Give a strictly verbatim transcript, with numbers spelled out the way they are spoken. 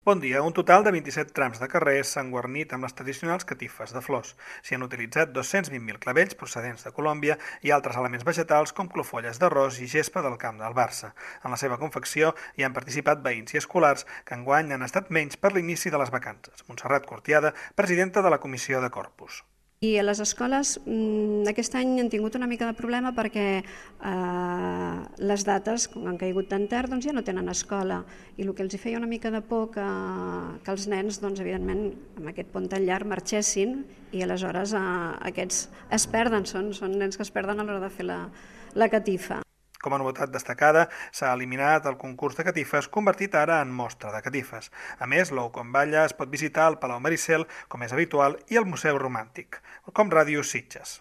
Bon dia. Un total de vint-i-set trams de carrers s'han guarnit amb les tradicionals catifes de flors. S'hi han utilitzat dos-cents vint mil clavells procedents de Colòmbia i altres elements vegetals com clofolles d'arròs i gespa del camp del Barça. En la seva confecció hi han participat veïns i escolars que enguany han estat menys per l'inici de les vacances. Montserrat Cortiada, presidenta de la Comissió de Corpus. I a les escoles aquest any han tingut una mica de problema perquè eh, les dates, com han caigut tan tard, doncs ja no tenen escola, i el que els feia una mica de por que, que els nens, doncs, evidentment, amb aquest pont tan llarg marxessin, i aleshores eh, aquests es perden, són, són nens que es perden a l'hora de fer la, la catifa. Com a novetat destacada, s'ha eliminat el concurs de catifes, convertit ara en mostra de catifes. A més, l'Ou com balla es pot visitar al Palau Maricel, com és habitual, i el Museu Romàntic, com Ràdio Sitges.